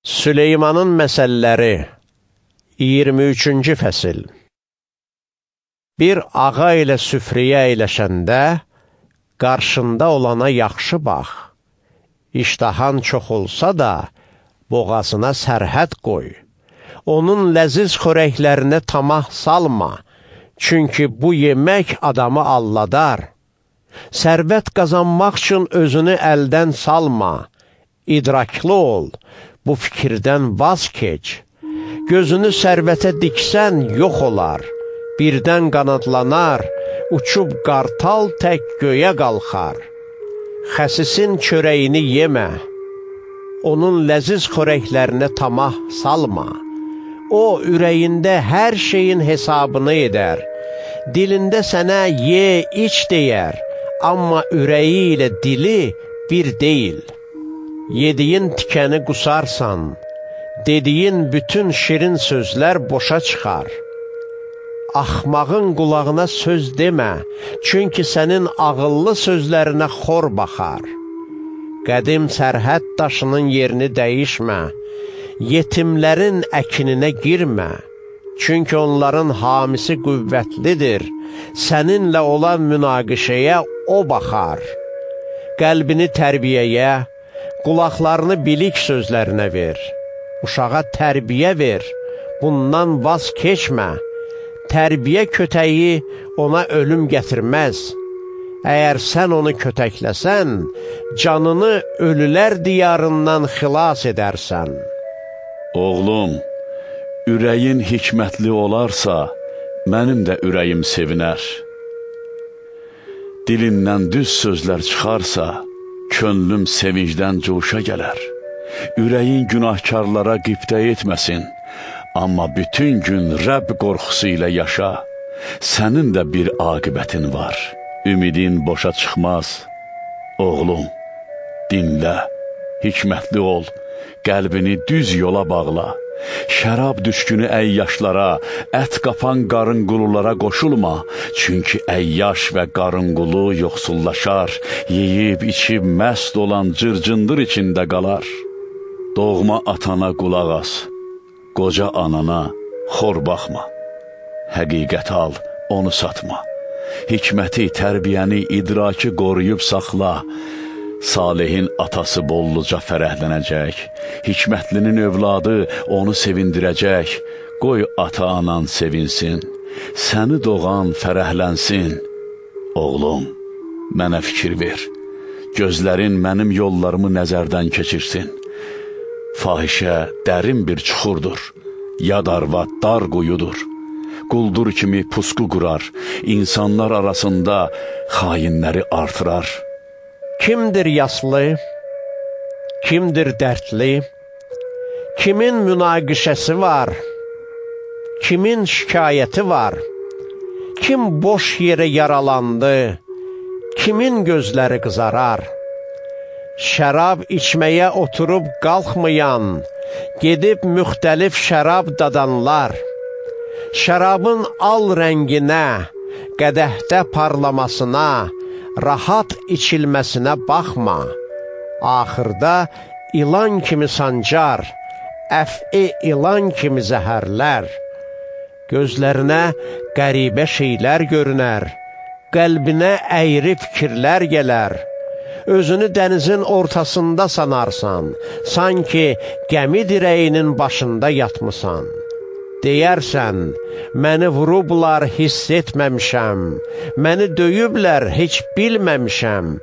Süleymanın məsəlləri 23-cü fəsil. Bir ağa ilə süfrəyə əyləşəndə, qarşında olana yaxşı bax. İştahan çox olsa da, boğazına sərhəd qoy. Onun ləziz xörəklərinə tamah salma, çünki bu yemək adamı alladar. Sərvət qazanmaq üçün özünü əldən salma, idraklı ol, bu fikirdən vaz keç. Gözünü sərvətə diksən yox olar, birdən qanadlanar, uçub qartal tək göyə qalxar. Xəsisin çörəyini yemə, onun ləziz xörəklərinə tamah salma. O, ürəyində hər şeyin hesabını edər, dilində sənə ye, iç deyər, amma ürəyi ilə dili bir deyil. Yediyin tikəni qusarsan, dediyin bütün şirin sözlər boşa çıxar. Axmağın qulağına söz demə, çünki sənin ağıllı sözlərinə xor baxar. Qədim sərhəd daşının yerini dəyişmə, yetimlərin əkininə girmə, çünki onların hamisi qüvvətlidir, səninlə olan münaqişəyə o baxar. Qəlbini tərbiyəyə, qulaqlarını bilik sözlərinə ver. Uşağa tərbiyə ver, bundan vaz keçmə. Tərbiyə kötəyi ona ölüm gətirməz. Əgər sən onu kötəkləsən, canını ölülər diyarından xilas edərsən. Oğlum, ürəyin hikmətli olarsa, mənim də ürəyim sevinər. Dilindən düz sözlər çıxarsa, könlüm sevincdən coşa gələr. Ürəyin günahkarlara qibtə etməsin, amma bütün gün Rəbb qorxusu ilə yaşa. Sənin də bir aqibətin var, ümidin boşa çıxmaz. Oğlum, dinlə, hikmətli ol, qəlbini düz yola bağla. Şərab düşkünü əyyaşlara, ət qapan qarınqululara qoşulma, çünki əyyaş və qarınqulu yoxsullaşar, yeyib, içib, məst olan cırcındır içində qalar. Doğma atana qulaq as, qoca anana xor baxma. Həqiqəti al, onu satma. Hikməti, tərbiyəni, idraki qoruyub saxla. Salihin atası bolluca fərəhlənəcək, hikmətlinin övladı onu sevindirəcək. Qoy ata-anan sevinsin, səni doğan fərəhlənsin. Oğlum, mənə fikir ver, gözlərin mənim yollarımı nəzərdən keçirsin. Fahişə dərin bir çuxurdur, yad arvad dar quyudur. Quldur kimi pusqu qurar, insanlar arasında xainləri artırar. Kimdir yaslı, kimdir dərdli, kimin münaqişəsi var, kimin şikayəti var, kim boş yerə yaralandı, kimin gözləri qızarar. Şərab içməyə oturub qalxmayan, gedib müxtəlif şərab dadanlar. Şərabın al rənginə, qədəhdə parlamasına, rahat içilməsinə baxma. Axırda ilan kimi sancar, əf'i ilan kimi zəhərlər. Gözlərinə qəribə şeylər görünər, qəlbinə əyri fikirlər gələr. Özünü dənizin ortasında sanarsan, sanki gəmi dirəyinin başında yatmısan. Deyərsən, məni vurublar, hiss etməmişəm, məni döyüblər, heç bilməmişəm,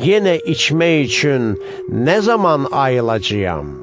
yenə içmək üçün nə zaman ayılacağam?